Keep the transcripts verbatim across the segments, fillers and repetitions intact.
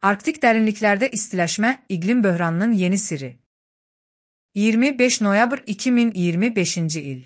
Arktik derinliklerde istileşme, iklim böhranının yeni siri. iyirmi beş noyabr iki min iyirmi beşinci il.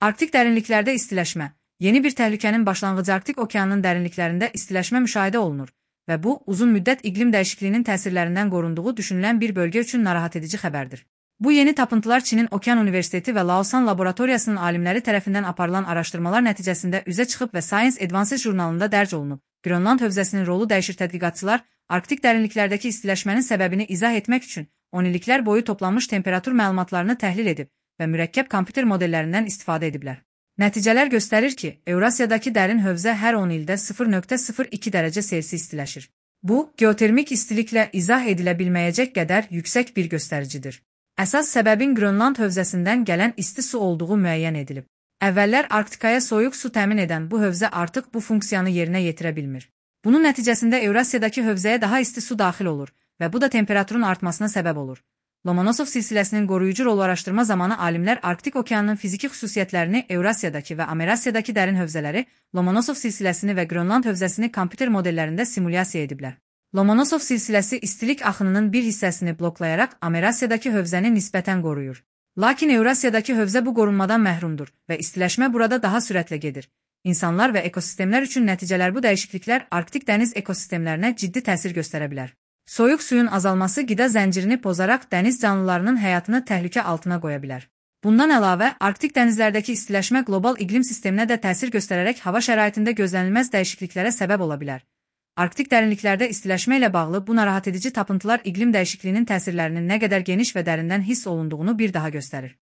Arktik derinliklerde istileşme, yeni bir təhlükənin başlanğıcı. Arktik okeanının dərinliklərində istileşme müşahidə olunur və bu, uzun müddət iqlim dəyişikliyinin təsirlərindən qorunduğu düşünülən bir bölgə üçün narahat edici xəbərdir. Bu yeni tapıntılar Çinin Okean Universiteti və Laosan Laboratoriyasının alimləri tərəfindən aparılan araşdırmalar nəticəsində üzə çıxıb və Science Advances jurnalında dərc olunub. Grönland hövzəsinin rolu dəyişir. Tədqiqatçılar Arktik dərinliklərdəki istiləşmənin səbəbini izah etmək üçün on illiklər boyu toplanmış temperatur məlumatlarını təhlil edib və mürəkkəb kompüter modellərindən istifadə ediblər. Nəticələr göstərir ki, Evrasiyadakı dərin hövzə hər on ildə sıfır nöqtə sıfır iki dərəcə Selsi istiləşir. Bu, geotermik istiliklə izah edilə bilməyəcək qədər yüksək bir göstəricidir. Əsas səbəbin Grönland hövzəsindən gələn isti su olduğu müəyyən edilib. Əvvəllər Arktikaya soyuq su təmin edən bu hövzə artıq bu funksiyanı yerinə yetirə bilmir. Bunun nəticəsində Evrasiyadakı hövzəyə daha isti su daxil olur və bu da temperaturun artmasına səbəb olur. Lomonosov silsiləsinin qoruyucu rolu araşdırma zamanı alimlər Arktik okeanının fiziki xüsusiyyətlərini, Evrasiyadakı və Amerasiyadakı dərin hövzələri, Lomonosov silsiləsini və Grönland hövzəsini kompüter modellərində simulyasiya ediblər. Lomonosov silsiləsi istilik axınının bir hissəsini bloklayaraq Amerasiyadakı hövzəni nisbətən qoruyur. Lakin Evrasiyadakı hövzə bu qorunmadan məhrumdur və istiləşmə burada daha sürətlə gedir. İnsanlar və ekosistemlər üçün nəticələr. Bu dəyişikliklər Arktik dəniz ekosistemlərinə ciddi təsir göstərə bilər. Soyuq suyun azalması qida zəncirini pozaraq dəniz canlılarının həyatını təhlükə altına qoya bilər. Bundan əlavə, Arktik dənizlərdəki istiləşmə qlobal iqlim sisteminə də təsir göstərərək hava şəraitində gözlənilməz dəyişikliklərə səbəb ola bilər. Arktik dərinliklərdə istiləşmə ilə bağlı bu narahat edici tapıntılar iqlim dəyişikliyinin təsirlərinin nə qədər geniş və dərindən hiss olunduğunu bir daha göstərir.